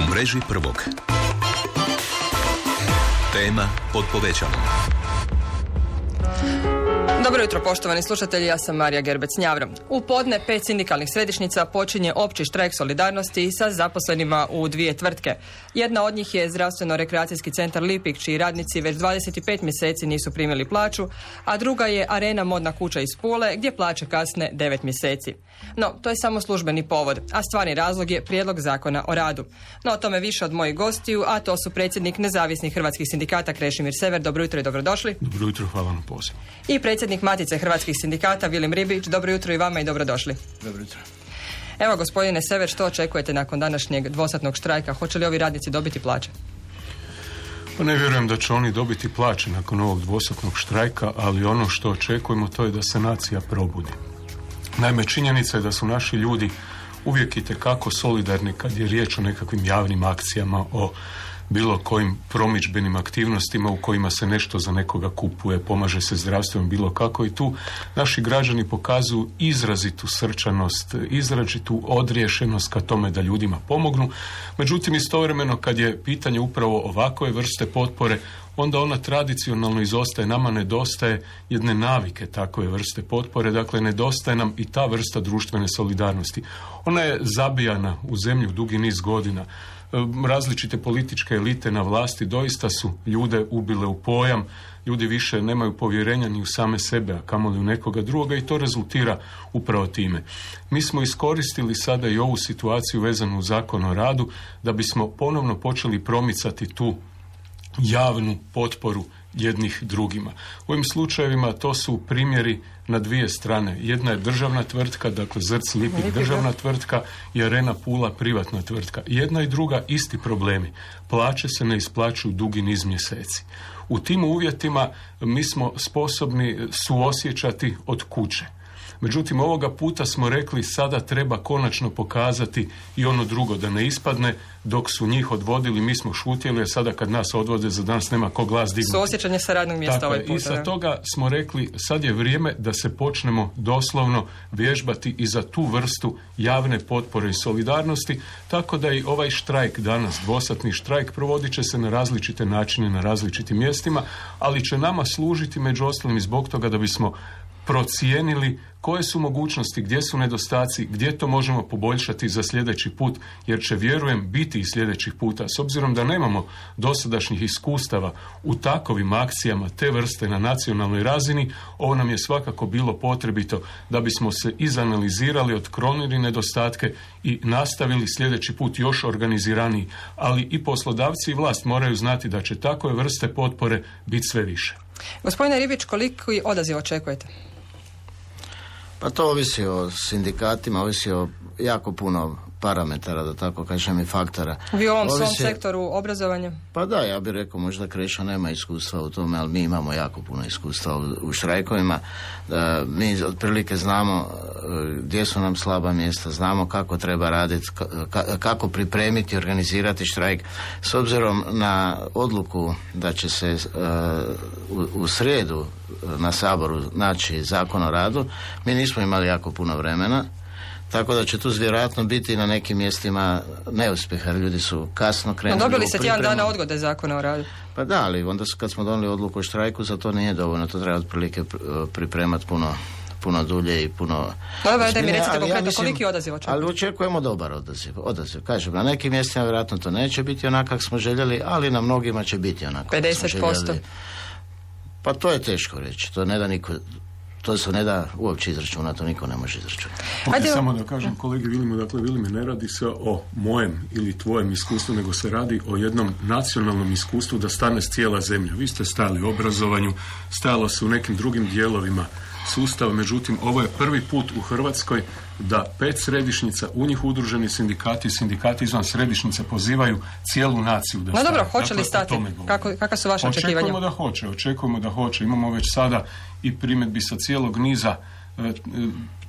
U mreži prvog. Tema pod povećalom. Dobro jutro, poštovani slušatelji, ja sam Marija Gerbec-Njavro. U podne 5 sindikalnih središnjica počinje opći štrajk solidarnosti sa zaposlenima u 2 tvrtke. Jedna od njih je zdravstveno-rekreacijski centar Lipik, čiji radnici već 25 mjeseci nisu primili plaću, a druga je Arena modna kuća iz Pule, gdje plaće kasne 9 mjeseci. No, to je samo službeni povod, a stvarni razlog je prijedlog zakona o radu. No, o tome više od mojih gostiju, a to su predsjednik nezavisnih hrvatskih sindikata Krešimir Sever. Dobro jutro i dobrodošli. Dobro jutro, hvala na pozivu. I predsjednik Matice hrvatskih sindikata Vilim Ribić. Dobro jutro i vama i dobrodošli. Dobro jutro. Evo, gospodine Sever, što očekujete nakon današnjeg dvosatnog štrajka? Hoće li ovi radnici dobiti plaće? Pa ne vjerujem da će oni dobiti plaće nakon ovog dvosatnog štrajka, ali ono što očekujemo to je da se nacija probudi. Naime, činjenica je da su naši ljudi uvijek itekako solidarni kad je riječ o nekakvim javnim akcijama, o bilo kojim promidžbenim aktivnostima u kojima se nešto za nekoga kupuje, pomaže se zdravstvenom bilo kako, i tu naši građani pokazuju izrazitu srčanost, izrazitu odriješenost ka tome da ljudima pomognu. Međutim, istovremeno kad je pitanje upravo ovakve vrste potpore, onda ona tradicionalno izostaje. Nama nedostaje jedne navike takve vrste potpore, dakle nedostaje nam i ta vrsta društvene solidarnosti. Ona je zabijana u zemlju dugi niz godina. Različite političke elite na vlasti doista su ljude ubile u pojam, ljudi više nemaju povjerenja ni u same sebe, a kamoli u nekoga drugoga, i to rezultira upravo time. Mi smo iskoristili sada i ovu situaciju vezanu u Zakon o radu da bismo ponovno počeli promicati tu javnu potporu jednih drugima. U ovim slučajevima to su primjeri na dvije strane. Jedna je državna tvrtka, dakle Zrc Lipik državna tvrtka, i Arena Pula privatna tvrtka. Jedna i druga isti problemi. Plaće se ne isplaćuju dugi niz mjeseci. U tim uvjetima mi smo sposobni suosjećati od kuće. Međutim, ovoga puta smo rekli sada treba konačno pokazati i ono drugo, da ne ispadne dok su njih odvodili, mi smo šutjeli, a sada kad nas odvode za danas nema ko glas dignuti. Suosjećanje sa radnog mjesta ovaj puta. I sa toga smo rekli sad je vrijeme da se počnemo doslovno vježbati i za tu vrstu javne potpore i solidarnosti, tako da i ovaj štrajk danas, dvosatni štrajk, provodit će se na različite načine, na različitim mjestima, ali će nama služiti među ostalim i zbog toga da bismo procijenili koje su mogućnosti, gdje su nedostaci, gdje to možemo poboljšati za sljedeći put, jer će, vjerujem, biti i sljedećih puta. S obzirom da nemamo dosadašnjih iskustava u takovim akcijama te vrste na nacionalnoj razini, ovo nam je svakako bilo potrebito da bismo se izanalizirali, otklonili nedostatke i nastavili sljedeći put još organiziraniji. Ali i poslodavci i vlast moraju znati da će takve vrste potpore biti sve više. Gospodine Ribić, koliki odaziv očekujete? Pa to ovisi o sindikatima, ovisi o jako puno parametara, da tako kažem, i faktora. Vi u ovom svom sektoru obrazovanja? Pa da, ja bih rekao, možda Kreša nema iskustva u tome, ali mi imamo jako puno iskustva u štrajkovima. Mi otprilike znamo gdje su nam slaba mjesta, znamo kako treba raditi, kako pripremiti, organizirati štrajk. S obzirom na odluku da će se u srijedu na Saboru naći Zakon o radu, mi nismo imali jako puno vremena, tako da će tu vjerojatno biti na nekim mjestima neuspjeha, jer ljudi su kasno krenuli. Dobili se tjedan dana odgode Zakona o radu. Pa da, ali onda kad smo donijeli odluku o štrajku, za to nije dovoljno, to treba otprilike pripremati puno dulje i puno... Dobro, da mi recite konkretno koliki odaziv očekujemo. Ali očekujemo dobar odaziv. Kažem, na nekim mjestima vjerojatno to neće biti onako kako smo željeli, ali na mnogima će biti onako kako smo željeli. 50%? Pa to je teško reći, to ne da niko... To se ne da uopće izračunati, to niko ne može izračunati. Samo da kažem kolegi Vilimu, dakle Vilime, ne radi se o mojem ili tvojem iskustvu, nego se radi o jednom nacionalnom iskustvu da stane cijela zemlja. Vi ste stajali u obrazovanju, stajalo se u nekim drugim dijelovima sustava, međutim ovo je prvi put u Hrvatskoj da 5 središnjica, u njih udruženi sindikati izvan središnjice pozivaju cijelu naciju da stane. No dobro, hoće li stati? Kakva su vaše očekivanja? Očekujemo da hoće. Imamo već sada i primjedbi sa cijelog niza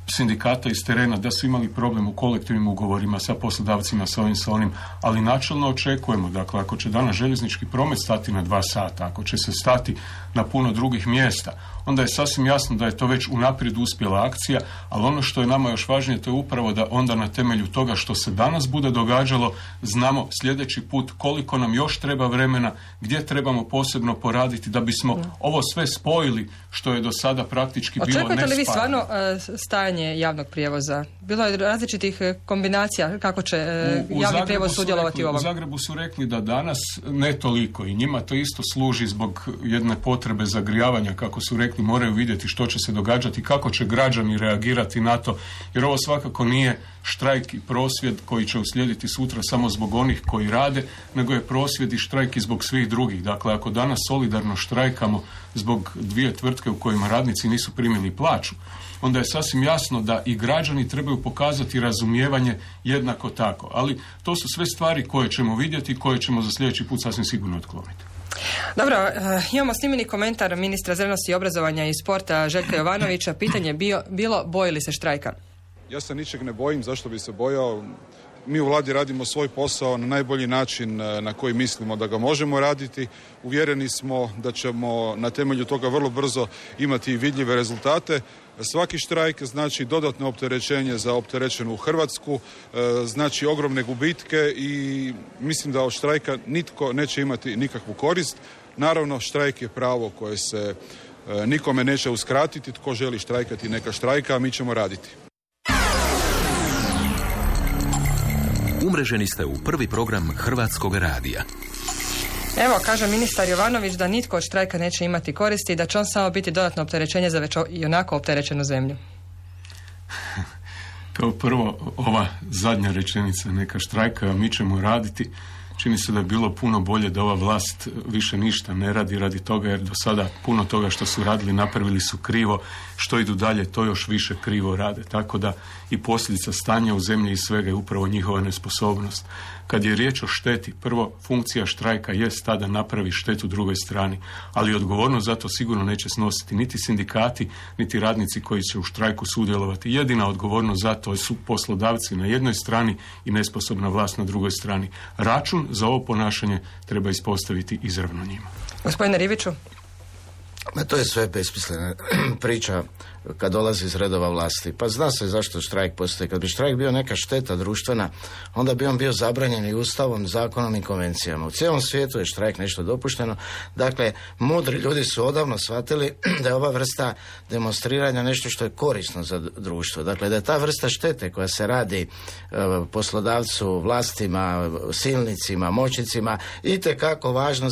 sindikata iz terena da su imali problem u kolektivnim ugovorima sa poslodavcima, sa onim, ali načelno očekujemo, dakle, ako će danas željeznički promet stati na 2 sata, ako će se stati na puno drugih mjesta, onda je sasvim jasno da je to već unaprijed uspjela akcija, ali ono što je nama još važnije to je upravo da onda na temelju toga što se danas bude događalo znamo sljedeći put koliko nam još treba vremena, gdje trebamo posebno poraditi da bismo ovo sve spojili što je do sada praktički bilo nespajano. Očekujete li vi stvarno stajanje javnog prijevoza? Bilo je različitih kombinacija kako će javni prijevoz sudjelovati u ovom. U Zagrebu su rekli da danas ne toliko i njima to isto služi zbog jedne potrebe zagrijavanja, kako su rekli, moraju vidjeti što će se događati, kako će građani reagirati na to, jer ovo svakako nije štrajk i prosvjed koji će uslijediti sutra samo zbog onih koji rade, nego je prosvjed i štrajk i zbog svih drugih. Dakle, ako danas solidarno štrajkamo zbog 2 tvrtke u kojima radnici nisu primili plaću, onda je sasvim jasno da i građani trebaju pokazati razumijevanje jednako tako. Ali to su sve stvari koje ćemo vidjeti i koje ćemo za sljedeći put sasvim sigurno otkloniti. Dobro, imamo snimljeni komentar ministra znanosti, obrazovanja i sporta Željka Jovanovića. Pitanje bilo boji li se štrajka? Ja se ničeg ne bojim, zašto bi se bojao? Mi u vladi radimo svoj posao na najbolji način na koji mislimo da ga možemo raditi. Uvjereni smo da ćemo na temelju toga vrlo brzo imati vidljive rezultate. Svaki štrajk znači dodatno opterećenje za opterećenu Hrvatsku, znači ogromne gubitke i mislim da od štrajka nitko neće imati nikakvu korist. Naravno, štrajk je pravo koje se nikome neće uskratiti. Tko želi štrajkati neka štrajka, a mi ćemo raditi. Umreženi ste u prvi program Hrvatskog radija. Evo, kaže ministar Jovanović da nitko od štrajka neće imati koristi i da će on samo biti dodatno opterećenje za već i onako opterećenu zemlju. Kao prvo, ova zadnja rečenica, neka štrajka, a mi ćemo raditi. Čini se da je bilo puno bolje da ova vlast više ništa ne radi toga, jer do sada puno toga što su radili napravili su krivo, što idu dalje to još više krivo rade. Tako da i posljedica stanja u zemlji i svega je upravo njihova nesposobnost. Kad je riječ o šteti, prvo, funkcija štrajka jest ta da napravi štetu drugoj strani, ali odgovornost za to sigurno neće snositi niti sindikati, niti radnici koji će u štrajku sudjelovati. Jedina odgovornost za to su poslodavci na jednoj strani i nesposobna vlast na drugoj strani. Račun za ovo ponašanje treba ispostaviti izravno njima. Gospodine Ribiću? To je sve besmislena priča kad dolazi iz redova vlasti. Pa zna se zašto štrajk postoji. Kad bi štrajk bio neka šteta društvena, onda bi on bio zabranjen i ustavom, zakonom i konvencijama. U cijelom svijetu je štrajk nešto dopušteno. Dakle, mudri ljudi su odavno shvatili da je ova vrsta demonstriranja nešto što je korisno za društvo. Dakle, da je ta vrsta štete koja se radi poslodavcu, vlastima, silnicima, moćnicima itekako važna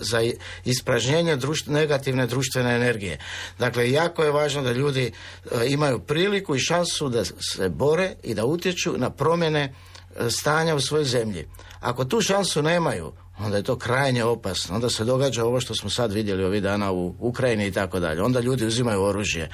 za ispražnjenje negativne društvene energije. Dakle, jako je važno da ljudi imaju priliku i šansu da se bore i da utječu na promjene stanja u svojoj zemlji. Ako tu šansu nemaju, onda je to krajnje opasno. Onda se događa ovo što smo sad vidjeli ovih dana u Ukrajini i tako dalje. Onda ljudi uzimaju oružje.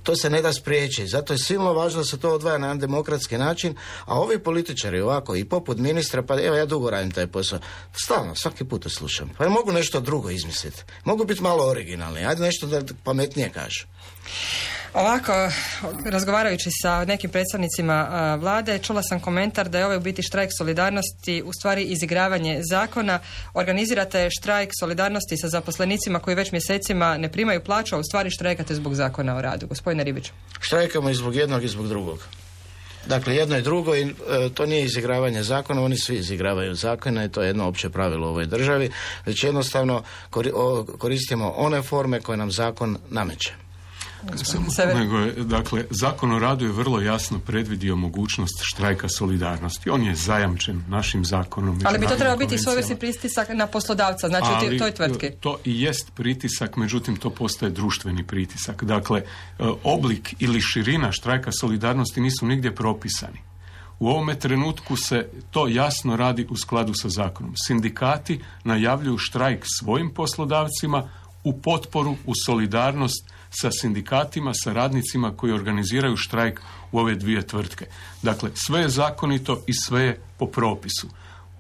To se ne da spriječiti. Zato je silno važno da se to odvaja na jedan demokratski način, a ovi političari ovako i poput ministra, pa evo ja dugo radim taj posao, stalno, svaki put to slušam. Pa mogu nešto drugo izmisliti. Mogu biti malo originalni. Ajde nešto da pametnije kažu. Ovako, razgovarajući sa nekim predstavnicima vlade, čula sam komentar da je ovaj u biti štrajk solidarnosti u stvari izigravanje zakona. Organizirate štrajk solidarnosti sa zaposlenicima koji već mjesecima ne primaju plaću, a u stvari štrajkate zbog zakona o radu. Gospodine Ribiću. Štrajkamo i zbog jednog i zbog drugog. Dakle, jedno i drugo, i to nije izigravanje zakona, oni svi izigravaju zakone i to je jedno opće pravilo u ovoj državi, već jednostavno koristimo one forme koje nam zakon nameće. Dakle, Zakon o radu je vrlo jasno predvidio mogućnost štrajka solidarnosti. On je zajamčen našim zakonom. Ali bi to trebao biti svojevrsni pritisak na poslodavca, znači u toj tvrtki. To i jest pritisak, međutim to postaje društveni pritisak. Dakle, oblik ili širina štrajka solidarnosti nisu nigdje propisani. U ovome trenutku se to jasno radi u skladu sa zakonom. Sindikati najavljuju štrajk svojim poslodavcima u potporu, u solidarnost sa sindikatima, sa radnicima koji organiziraju štrajk u ove 2 tvrtke. Dakle, sve je zakonito i sve je po propisu.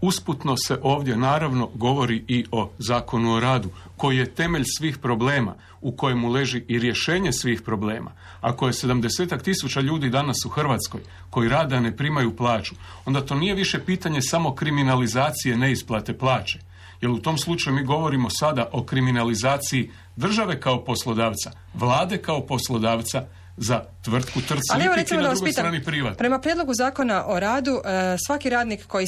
Usputno se ovdje naravno govori i o Zakonu o radu, koji je temelj svih problema, u kojemu leži i rješenje svih problema. Ako je 70.000 ljudi danas u Hrvatskoj koji rade, a ne primaju plaću, onda to nije više pitanje samo kriminalizacije neisplate plaće. Jer u tom slučaju mi govorimo sada o kriminalizaciji države kao poslodavca, vlade kao poslodavca za tvrtku Trst Lipik i na drugoj strani privatno. Prema prijedlogu zakona o radu, svaki radnik kojem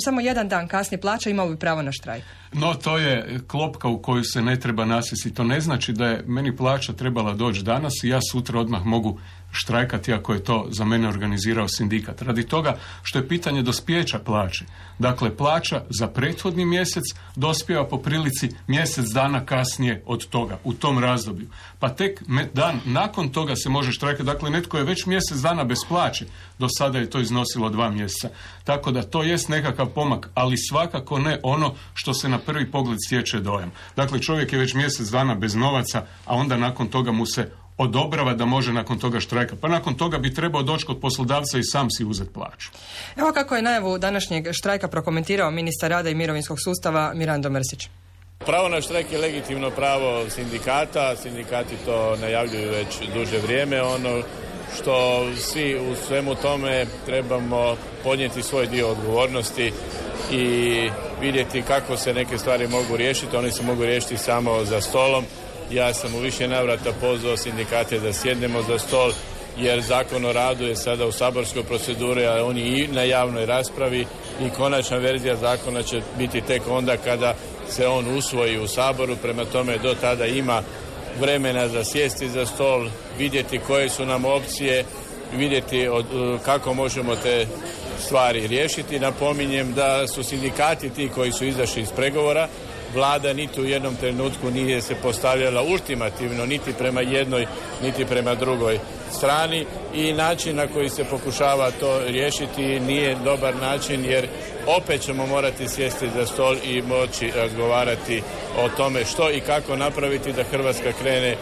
samo jedan dan kasni plaća imao bi pravo na štrajk. No, to je klopka u koju se ne treba nasjesti. To ne znači da je meni plaća trebala doći danas i ja sutra odmah mogu štrajkati ako je to za mene organizirao sindikat. Radi toga što je pitanje dospijeća plaće. Dakle, plaća za prethodni mjesec dospijeva po prilici mjesec dana kasnije od toga, u tom razdoblju. Pa tek dan nakon toga se može štrajkati. Dakle, netko je već mjesec dana bez plaće. Do sada je to iznosilo 2 mjeseca. Tako da to jest nekakav pomak, ali svakako ne ono što se na prvi pogled stječe dojam. Dakle, čovjek je već mjesec dana bez novaca, a onda nakon toga mu se odobrava da može nakon toga štrajka. Pa nakon toga bi trebao doći kod poslodavca i sam si uzeti plaću. Evo kako je najavu današnjeg štrajka prokomentirao ministar rada i mirovinskog sustava Mirando Mrsić. Pravo na štrajk je legitimno pravo sindikata. Sindikati to najavljuju već duže vrijeme. Ono što svi u svemu tome trebamo podnijeti svoj dio odgovornosti i vidjeti kako se neke stvari mogu riješiti. One se mogu riješiti samo za stolom. Ja sam u više navrata pozvao sindikate da sjednemo za stol, jer Zakon o radu je sada u saborskoj proceduri, a on je i na javnoj raspravi i konačna verzija zakona će biti tek onda kada se on usvoji u Saboru. Prema tome, do tada ima vremena za sjesti za stol, vidjeti koje su nam opcije, vidjeti kako možemo te stvari riješiti. Napominjem da su sindikati ti koji su izašli iz pregovora. Vlada niti u jednom trenutku nije se postavljala ultimativno niti prema jednoj niti prema drugoj strani i način na koji se pokušava to riješiti nije dobar način, jer opet ćemo morati sjesti za stol i moći razgovarati o tome što i kako napraviti da Hrvatska krene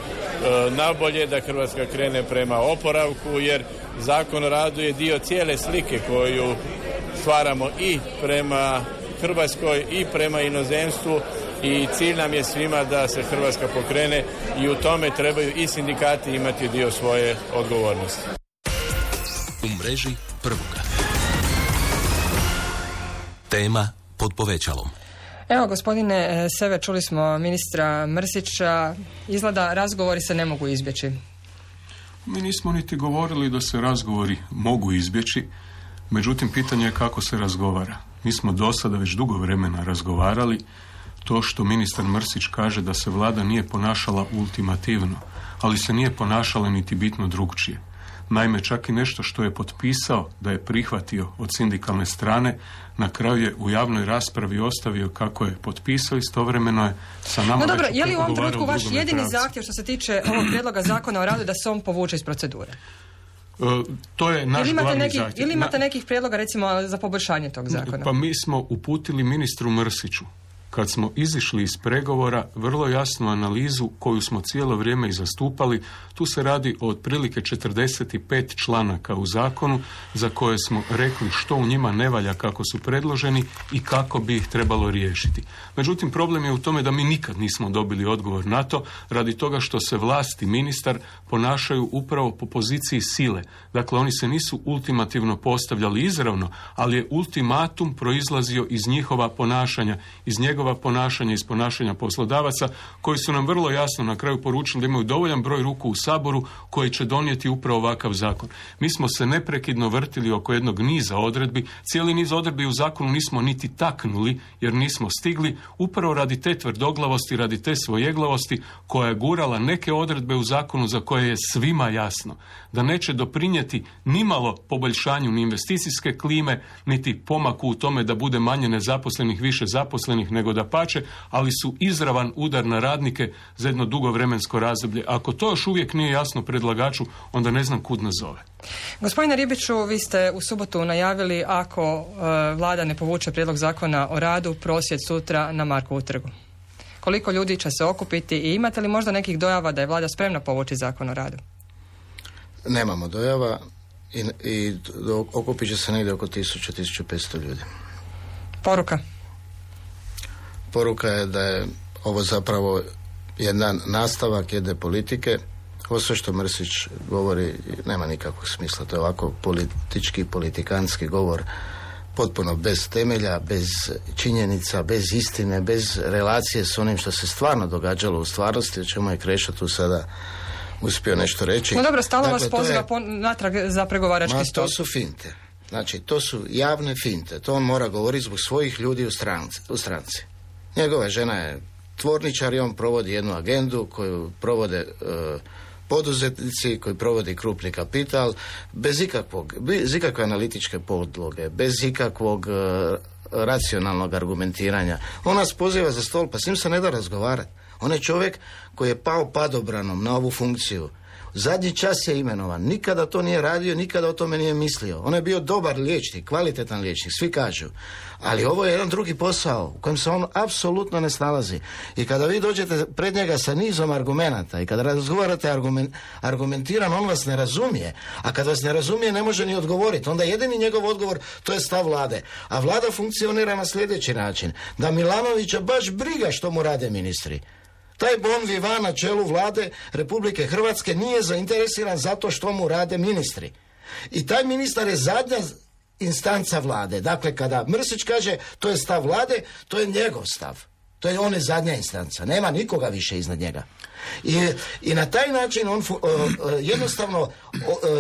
nabolje, da Hrvatska krene prema oporavku, jer Zakon o radu je dio cijele slike koju stvaramo i prema Hrvatskoj i prema inozemstvu i cilj nam je svima da se Hrvatska pokrene i u tome trebaju i sindikati imati dio svoje odgovornosti. U mreži Prvoga. Tema pod povećalom. Evo, gospodine Sever, čuli smo ministra Mrsića. Izgleda razgovori se ne mogu izbjeći. Mi nismo niti govorili da se razgovori mogu izbjeći, međutim pitanje je kako se razgovara. Mi smo do sada već dugo vremena razgovarali. To što ministar Mrsić kaže da se vlada nije ponašala ultimativno, ali se nije ponašala niti bitno drugčije. Naime, čak i nešto što je potpisao da je prihvatio od sindikalne strane, na kraju je u javnoj raspravi ostavio kako je potpisao, istovremeno je sa nama... No dobro, je li u ovom trenutku vaš jedini zahtjev što se tiče ovog prijedloga zakona o radu da se on povuče iz procedure? To je naš glavni zahtjev. Ili imate nekih prijedloga, recimo, za poboljšanje tog zakona? Pa mi smo uputili ministru Mrsiću, kad smo izišli iz pregovora, vrlo jasnu analizu koju smo cijelo vrijeme i zastupali. Tu se radi o otprilike 45 članaka u zakonu za koje smo rekli što u njima ne valja kako su predloženi i kako bi ih trebalo riješiti. Međutim, problem je u tome da mi nikad nismo dobili odgovor na to, radi toga što se vlast i ministar ponašaju upravo po poziciji sile. Dakle, oni se nisu ultimativno postavljali izravno, ali je ultimatum proizlazio iz njihova ponašanja, iz njegova ponašanja, iz ponašanja poslodavaca, koji su nam vrlo jasno na kraju poručili da imaju dovoljan broj ruku u Saboru koji će donijeti upravo ovakav zakon. Mi smo se neprekidno vrtili oko jednog niza odredbi. Cijeli niz odredbi u zakonu nismo niti taknuli jer nismo stigli, upravo radi te tvrdoglavosti, radi te svojeglavosti koja je gurala neke odredbe u zakonu za koje je svima jasno da neće doprinijeti nimalo poboljšanju ni investicijske klime, niti pomaku u tome da bude manje nezaposlenih, više zaposlenih, nego da pače, ali su izravan udar na radnike za jedno dugo vremensko razdoblje. Ako to još uvijek nije jasno predlagaču, onda ne znam kud nas zove. Gospodine Ribiću, vi ste u subotu najavili, ako vlada ne povuče prijedlog zakona o radu, prosvjed sutra na Markovu trgu. Koliko ljudi će se okupiti i imate li možda nekih dojava da je vlada spremna povući zakon o radu? Nemamo dojava i okupit će se negdje oko 1000-1500 ljudi. Poruka? Poruka je da je ovo zapravo jedan nastavak jedne politike. Ovo sve što Mrsić govori nema nikakvog smisla. To je ovako politički, politikanski govor potpuno bez temelja, bez činjenica, bez istine, bez relacije s onim što se stvarno događalo u stvarnosti, o čemu je Krešo tu sada uspio nešto reći. No dobro, stalno vas poziva natrag za pregovarački stol. To su finte. Znači, to su javne finte. To on mora govoriti zbog svojih ljudi u stranci. Njegova žena je tvorničar i on provodi jednu agendu koju provode poduzetnici, koji provodi krupni kapital, bez ikakve analitičke podloge, bez ikakvog racionalnog argumentiranja. On nas poziva za stol, pa s njim se ne da razgovarati. On je čovjek koji je pao padobranom na ovu funkciju. Zadnji čas je imenovan. Nikada to nije radio, nikada o tome nije mislio. On je bio dobar liječnik, kvalitetan liječnik, svi kažu. Ali ovo je jedan drugi posao u kojem se on apsolutno ne snalazi. I kada vi dođete pred njega sa nizom argumenata i kada razgovarate argumentirano, on vas ne razumije. A kada vas ne razumije, ne može ni odgovoriti. Onda jedini njegov odgovor, to je stav vlade. A vlada funkcionira na sljedeći način. Da Milanovića baš briga što mu rade ministri. Taj bon vivant na čelu vlade Republike Hrvatske nije zainteresiran zato što mu rade ministri. I taj ministar je zadnja instanca vlade. Dakle, kada Mrsić kaže to je stav vlade, to je njegov stav. On je zadnja instanca. Nema nikoga više iznad njega. I na taj način on jednostavno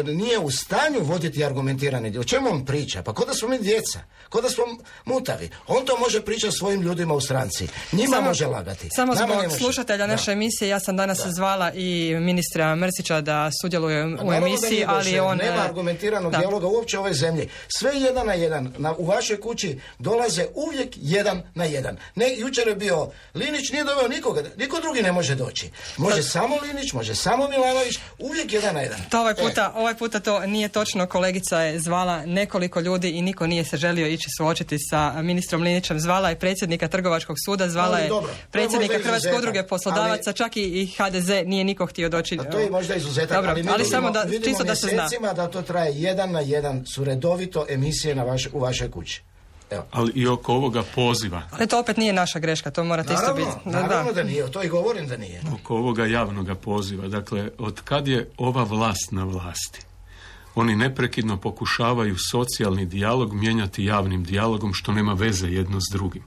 nije u stanju voditi argumentirane. O čemu on priča? Pa ko da smo mi djeca, ko da smo mutavi. On to može pričati svojim ljudima u stranci. Njima može lagati. Samo zbog slušatelja naše emisije, ja sam danas zvala i ministra Mrsića da sudjeluje u emisiji, ali on... Nema argumentiranog dijaloga uopće u ovoj zemlji. Sve 1 na 1. U vašoj kući dolaze uvijek 1 na 1. Jučer je bio Linić, nije doveo nikoga. Niko drugi ne može doći. Može samo Linić, može samo Milanović, uvijek 1 na 1. To ovaj puta to nije točno. Kolegica je zvala nekoliko ljudi i niko nije se želio ići suočiti sa ministrom Linićem. Zvala je predsjednika Trgovačkog suda, zvala je predsjednika Hrvatske udruge poslodavaca, čak i HDZ nije niko htio doći. A to je možda izuzetak, dobro, ali samo da čisto da se zna. Da to traje 1 na 1 su redovito emisije u vašoj kući. Evo. Ali i oko ovoga poziva. Ali to opet nije naša greška, to morate isto biti. Naravno da nije, to i govorim da nije. Oko ovoga javnoga poziva, dakle, od kad je ova vlast na vlasti, oni neprekidno pokušavaju socijalni dijalog mijenjati javnim dijalogom, što nema veze jedno s drugim.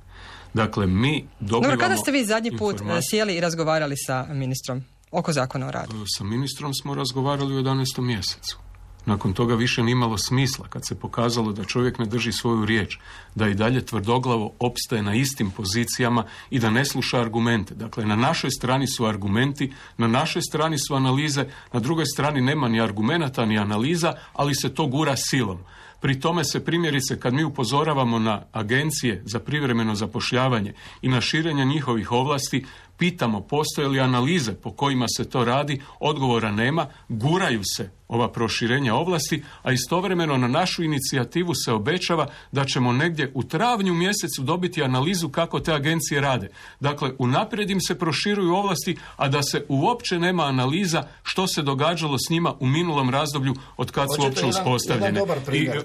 Dakle, mi dobivamo... Dobro, kada ste vi zadnji put sjeli i razgovarali sa ministrom oko zakona o radu? Sa ministrom smo razgovarali u 11. mjesecu. Nakon toga više nije imalo smisla kad se pokazalo da čovjek ne drži svoju riječ, da i dalje tvrdoglavo opstaje na istim pozicijama i da ne sluša argumente. Dakle, na našoj strani su argumenti, na našoj strani su analize, na drugoj strani nema ni argumenata ni analiza, ali se to gura silom. Pri tome se primjerice kad mi upozoravamo na agencije za privremeno zapošljavanje i na širenje njihovih ovlasti, pitamo postoje li analize po kojima se to radi, odgovora nema, guraju se ova proširenja ovlasti, a istovremeno na našu inicijativu se obećava da ćemo negdje u travnju mjesecu dobiti analizu kako te agencije rade. Dakle, unaprijed im se proširuju ovlasti, a da se uopće nema analiza što se događalo s njima u minulom razdoblju od kad su uopće uspostavljene. Jedan dobar primjer.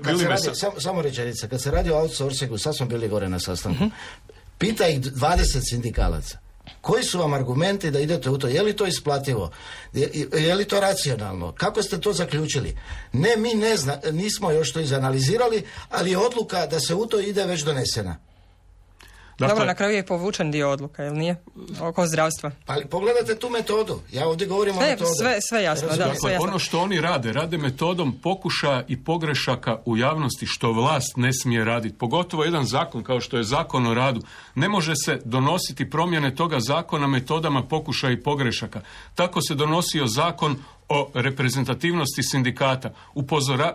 Samo rečenica, kad se radi o outsourcingu, sad smo bili gore na sastanku, pita ih 20 sindikalaca. Koji su vam argumenti da idete u to? Je li to isplativo? Je li to racionalno? Kako ste to zaključili? Ne, mi nismo još to izanalizirali, ali je odluka da se u to ide već donesena. Dakle, dobro, na kraju je povučen dio odluka, jel nije? Oko zdravstva. Pa pogledajte tu metodu. Ja ovdje govorim o metodu. Sve jasno, da. Dakle, sve jasno. Ono što oni rade metodom pokušaja i pogrešaka u javnosti, što vlast ne smije raditi. Pogotovo jedan zakon kao što je Zakon o radu. Ne može se donositi promjene toga zakona metodama pokušaja i pogrešaka. Tako se donosio zakon o reprezentativnosti sindikata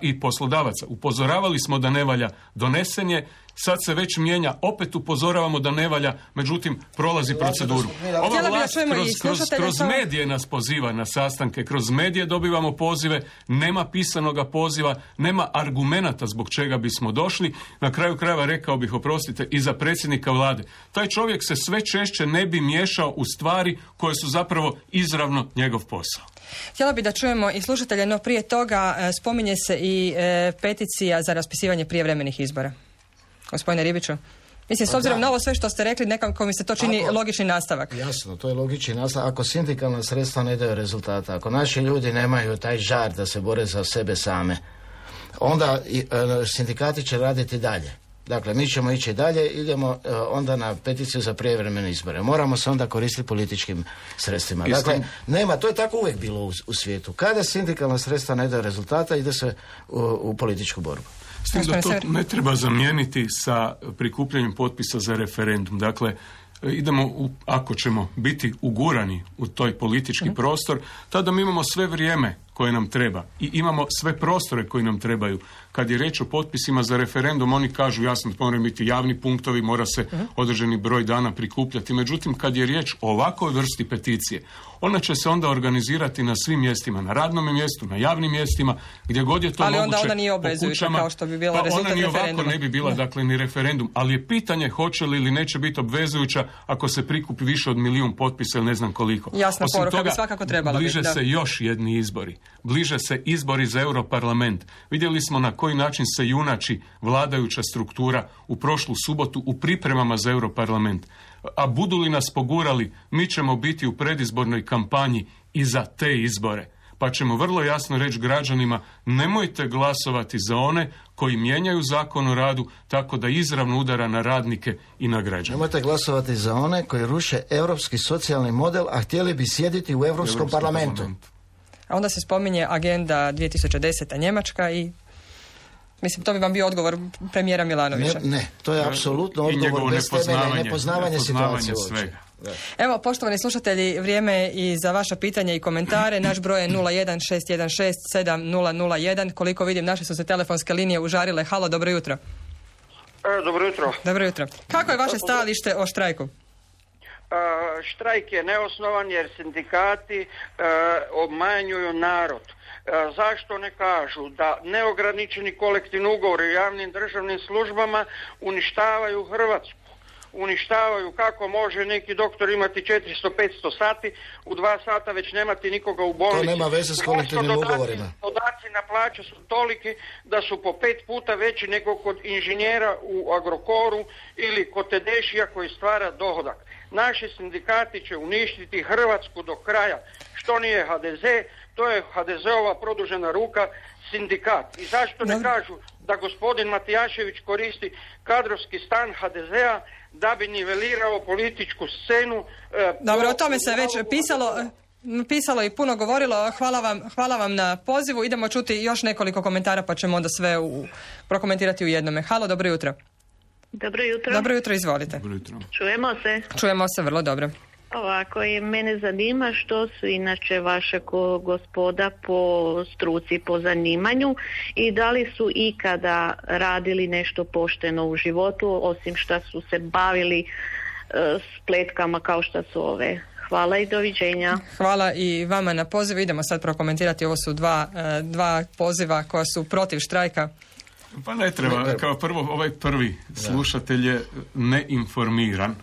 i poslodavaca. Upozoravali smo da ne valja, donesen je, sad se već mijenja, opet upozoravamo da ne valja, međutim prolazi proceduru. Ova vlast kroz medije nas poziva na sastanke, kroz medije dobivamo pozive, nema pisanoga poziva, nema argumenata zbog čega bismo došli. Na kraju krajeva rekao bih, oprostite, i za predsjednika vlade. Taj čovjek se sve češće ne bi miješao u stvari koje su zapravo izravno njegov posao. Htjela bi da čujemo i slušatelje, no prije toga spominje se i peticija za raspisivanje prijevremenih izbora. Gospodine Ribiću, mislim, s obzirom na ovo sve što ste rekli, nekako mi se to čini logični nastavak. Jasno, to je logični nastavak. Ako sindikalna sredstva ne daju rezultata, ako naši ljudi nemaju taj žar da se bore za sebe same, onda sindikati će raditi dalje. Dakle, mi ćemo ići dalje, idemo onda na peticiju za prijevremene izbore. Moramo se onda koristiti političkim sredstvima. Dakle, nema, to je tako uvijek bilo u svijetu. Kada sindikalna sredstva ne daju rezultata, ide se u političku borbu. S tim da to ne treba zamijeniti sa prikupljanjem potpisa za referendum. Dakle, idemo, ako ćemo biti ugurani u toj politički prostor, tada mi imamo sve vrijeme koje nam treba i imamo sve prostore koji nam trebaju. Kad je reč o potpisima za referendum, oni kažu jasno, moraju biti javni punktovi, mora se određeni broj dana prikupljati. Međutim, kad je riječ o ovakvoj vrsti peticije, ona će se onda organizirati na svim mjestima, na radnom mjestu, na javnim mjestima, gdje god je to moguće. Ali onda ona nije obvezujuća kao što bi bila rezultat referenduma. Ona ni ovako ne bi bila, dakle, ni referendum. Ali je pitanje hoće li ili neće biti obvezujuća ako se prikupi više od 1.000.000 potpisa ili ne znam koliko. Jasna poruka bi svakako trebala bliže biti, se još jedni izbori. Bliže se izbori za Europarlament. Vidjeli smo na koji način se junači vladajuća struktura u prošlu subotu u pripremama za Europarlament. A budu li nas pogurali, mi ćemo biti u predizbornoj kampanji i za te izbore. Pa ćemo vrlo jasno reći građanima, nemojte glasovati za one koji mijenjaju zakon o radu tako da izravno udara na radnike i na građane. Nemojte glasovati za one koji ruše europski socijalni model, a htjeli bi sjediti u Europskom parlamentu. A onda se spominje agenda 2010. Njemačka i mislim, to bi vam bio odgovor premijera Milanovića. Ne, to je apsolutno odgovor bez temelja i nepoznavanje situacije uopće. Evo, poštovani slušatelji, vrijeme je i za vaša pitanja i komentare. Naš broj je 016167001. Koliko vidim, naše su se telefonske linije užarile. Halo, dobro jutro. Dobro jutro. Dobro jutro. Kako je vaše stajalište o štrajku? Štrajk je neosnovan jer sindikati obmanjuju narod. Zašto ne kažu da neograničeni kolektivni ugovori u javnim državnim službama uništavaju Hrvatsku? Uništavaju kako može neki doktor imati 400-500 sati, u 2 sata već nemati nikoga u bolnici. To nema veze s kolektivnim ugovorima. Dodaci na plaće su toliki da su po 5 puta veći nego kod inženjera u Agrokoru ili kod Tedešija koji stvara dohodak. Naši sindikati će uništiti Hrvatsku do kraja. Što nije HDZ, to je HDZ-ova produžena ruka, sindikat. I zašto ne kažu da gospodin Matijašević koristi kadrovski stan HDZ-a da bi nivelirao političku scenu? Dobro, o tome se već pisalo i puno govorilo. Hvala vam na pozivu. Idemo čuti još nekoliko komentara pa ćemo onda sve prokomentirati u jednome. Halo, dobro jutro. Dobro jutro. Dobro jutro, izvolite. Dobro jutro. Čujemo se. Čujemo se, vrlo dobro. Ovako, i mene zanima što su inače vaše gospoda po struci, po zanimanju i da li su ikada radili nešto pošteno u životu, osim što su se bavili spletkama kao što su ove. Hvala i doviđenja. Hvala i vama na pozivu. Idemo sad prokomentirati. Ovo su dva poziva koja su protiv štrajka. Pa ne treba. Kao prvo, ovaj prvi slušatelj je neinformiran.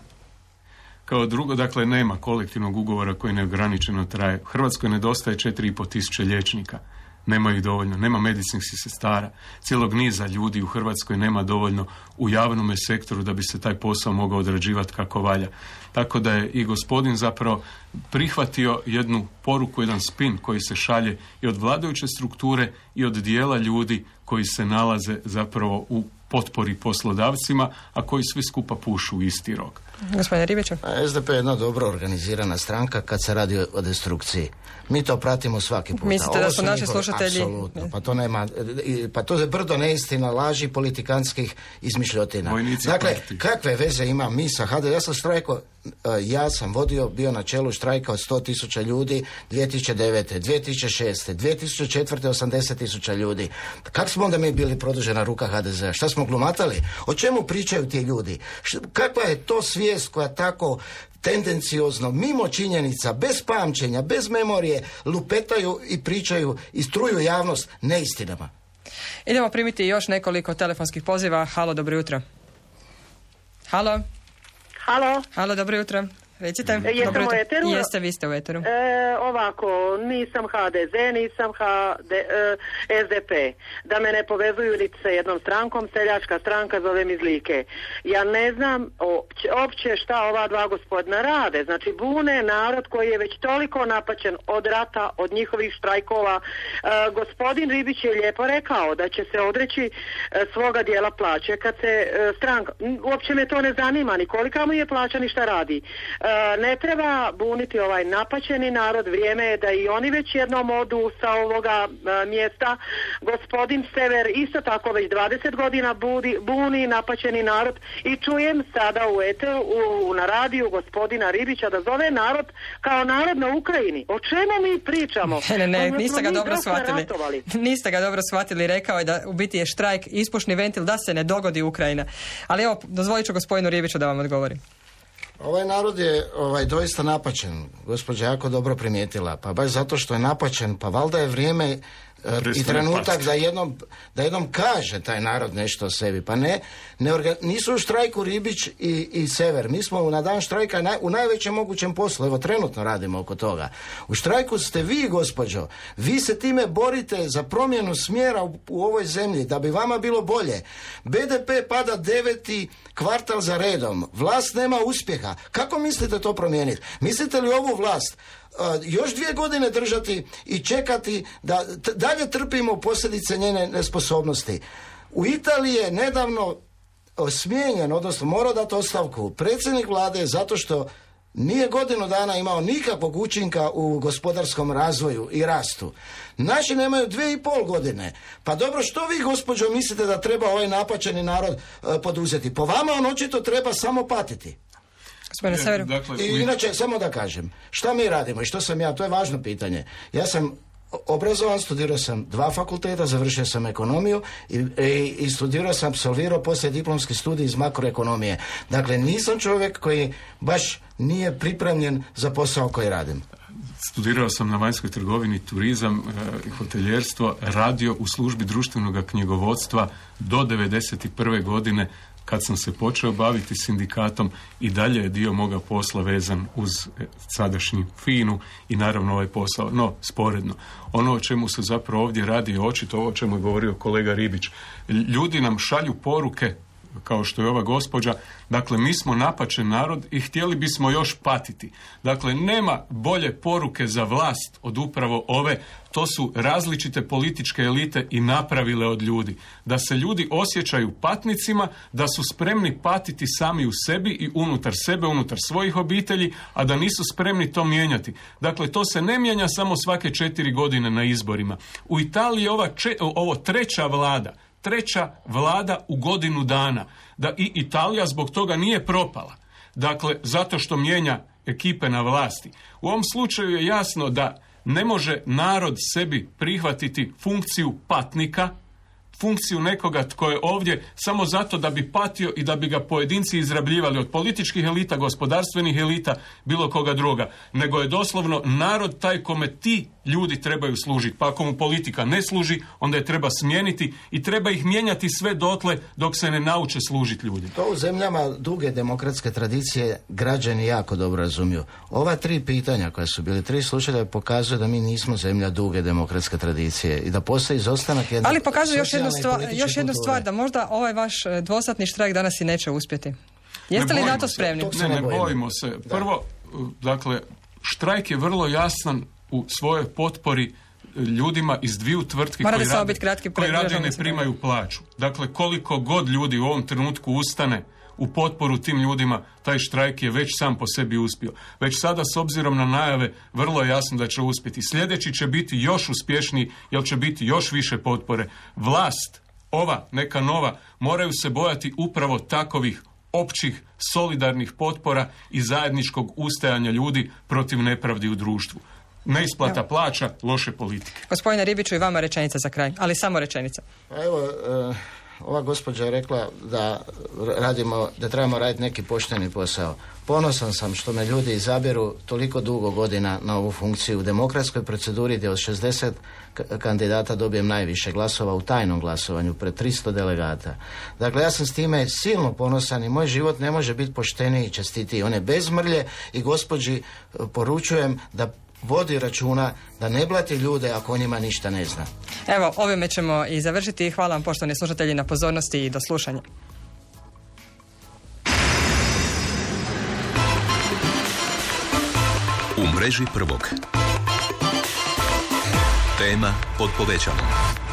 Kao drugo, dakle, nema kolektivnog ugovora koji neograničeno traje. U Hrvatskoj nedostaje 4.500 liječnika. Nema ih dovoljno. Nema medicinskih sestara. Cijelog niza ljudi u Hrvatskoj nema dovoljno u javnom sektoru da bi se taj posao mogao odrađivati kako valja. Tako da je i gospodin zapravo prihvatio jednu poruku, jedan spin koji se šalje i od vladajuće strukture i od dijela ljudi koji se nalaze zapravo u potpori poslodavcima, a koji svi skupa pušu u isti rog. Gospodine Ribiću. SDP je jedna dobro organizirana stranka kad se radi o destrukciji. Mi to pratimo svaki puta. Mislite da su naši slušatelji? Apsolutno. Pa to je brdo neistina, laži, politikantskih izmišljotina. Dakle, kakve veze ima mi sa HDZ? Ja sam štrajko, ja sam bio na čelu štrajka od 100.000 ljudi 2009. 2006. 2004. 80.000 ljudi. Kako smo onda mi bili produžena ruka HDZ-a? Šta smo glumatali? O čemu pričaju ti ljudi? Kakva je to svijest koja tako tendenciozno, mimo činjenica, bez pamćenja, bez memorije, lupetaju i pričaju i struju javnost neistinama? Idemo primiti još nekoliko telefonskih poziva. Halo, dobro jutro. Halo. Halo. Halo, dobro jutro. Recite. Jesam u eteru? Jeste, vi ste u eteru. Ovako, nisam HDZ, nisam SDP. Da me ne povezuju niti sa jednom strankom, seljačka stranka, zovem iz Like. Ja ne znam opće šta ova dva gospodina rade. Znači, bune narod koji je već toliko napaćen od rata, od njihovih štrajkova. Gospodin Ribić je lijepo rekao da će se odreći svoga dijela plaće kad se stranka... Uopće me to ne zanima, ni kolika mu je plaća, ni šta radi. Ne treba buniti ovaj napaćeni narod, vrijeme je da i oni već jednom odu sa ovoga mjesta. Gospodin Sever isto tako već 20 godina buni napaćeni narod i čujem sada u eteru, na radiju gospodina Ribića da zove narod kao narod na Ukrajini. O čemu mi pričamo? Ne, niste ga dobro shvatili. Niste ga dobro shvatili, rekao je da u biti je štrajk ispušni ventil da se ne dogodi Ukrajina. Ali evo, dozvolit ću gospodinu Ribiću da vam odgovori. Ovaj narod je doista napaćen, gospođa jako dobro primijetila, pa baš zato što je napaćen, pa valjda je vrijeme i trenutak da jednom kaže taj narod nešto o sebi. Pa nisu u štrajku Ribić i Sever. Mi smo na dan štrajka u najvećem mogućem poslu. Evo, trenutno radimo oko toga. U štrajku ste vi, gospođo. Vi se time borite za promjenu smjera u ovoj zemlji, da bi vama bilo bolje. BDP pada 9. kvartal za redom. Vlast nema uspjeha. Kako mislite to promijeniti? Mislite li ovu vlast još 2 godine držati i čekati da dalje trpimo posljedice njene nesposobnosti? U Italiji je nedavno smijenjen, odnosno morao dati ostavku predsjednik vlade zato što nije godinu dana imao nikakvog učinka u gospodarskom razvoju i rastu. Naši nemaju 2,5 godine. Pa dobro, što vi, gospođo, mislite da treba ovaj napaćeni narod poduzeti? Po vama on očito treba samo patiti. I inače, samo da kažem, šta mi radimo i što sam ja, to je važno pitanje. Ja sam obrazovan, studirao sam 2 fakulteta, završio sam ekonomiju i studirao sam, apsolvirao poslije diplomski studij iz makroekonomije. Dakle, nisam čovjek koji baš nije pripremljen za posao koji radim. Studirao sam na vanjskoj trgovini, turizam i hoteljerstvo, radio u službi društvenog knjigovodstva do 1991. godine, kad sam se počeo baviti sindikatom, i dalje je dio moga posla vezan uz sadašnju FINA-u i naravno ovaj posao. No, sporedno. Ono o čemu se zapravo ovdje radi je očito ovo o čemu je govorio kolega Ribić. Ljudi nam šalju poruke, kao što je ova gospođa, dakle, mi smo napaćen narod i htjeli bismo još patiti. Dakle, nema bolje poruke za vlast od upravo ove. To su različite političke elite i napravile od ljudi. Da se ljudi osjećaju patnicima, da su spremni patiti sami u sebi i unutar sebe, unutar svojih obitelji, a da nisu spremni to mijenjati. Dakle, to se ne mijenja samo svake 4 godine na izborima. U Italiji je ovo treća vlada u godinu dana. Da i Italija zbog toga nije propala. Dakle, zato što mijenja ekipe na vlasti. U ovom slučaju je jasno da ne može narod sebi prihvatiti funkciju patnika, funkciju nekoga tko je ovdje samo zato da bi patio i da bi ga pojedinci izrabljivali od političkih elita, gospodarstvenih elita, bilo koga druga. Nego je doslovno narod taj kome ti ljudi trebaju služiti. Pa ako mu politika ne služi, onda je treba smijeniti i treba ih mijenjati sve dotle dok se ne nauče služiti ljudi. To u zemljama duge demokratske tradicije građani jako dobro razumiju. Ova 3 pitanja koja su bili 3 slučaja pokazuju da mi nismo zemlja duge demokratske tradicije i da postoji izostanak jednog... Ali pokazuje još jednu stvar, da možda ovaj vaš dvosatni štrajk danas i neće uspjeti. Jeste li na to spremni? Ne bojimo se. Prvo, dakle, štrajk je vrlo jasan u svojoj potpori ljudima iz 2 tvrtki koji rade ne primaju plaću. Dakle, koliko god ljudi u ovom trenutku ustane u potporu tim ljudima, taj štrajk je već sam po sebi uspio. Već sada, s obzirom na najave, vrlo je jasno da će uspjeti. Sljedeći će biti još uspješniji, jer će biti još više potpore. Vlast, ova, neka nova, moraju se bojati upravo takovih općih, solidarnih potpora i zajedničkog ustajanja ljudi protiv nepravdi u društvu. Neisplata plaća, loše politike. Gospodine Ribiću, i vama rečenica za kraj, ali samo rečenica. Pa evo, ova gospođa je rekla da trebamo raditi neki pošteni posao. Ponosan sam što me ljudi izaberu toliko dugo godina na ovu funkciju u demokratskoj proceduri gdje od 60 kandidata dobijem najviše glasova u tajnom glasovanju pred 300 delegata. Dakle, ja sam s time silno ponosan i moj život ne može biti pošteniji i čestitiji. On je bez mrlje i gospođi poručujem da vodi računa da ne blati ljude ako o njima ništa ne zna. Evo, ovime ćemo i završiti. Hvala vam, poštovani slušatelji, na pozornosti i do slušanja. U mreži prvog. Tema pod povećalom.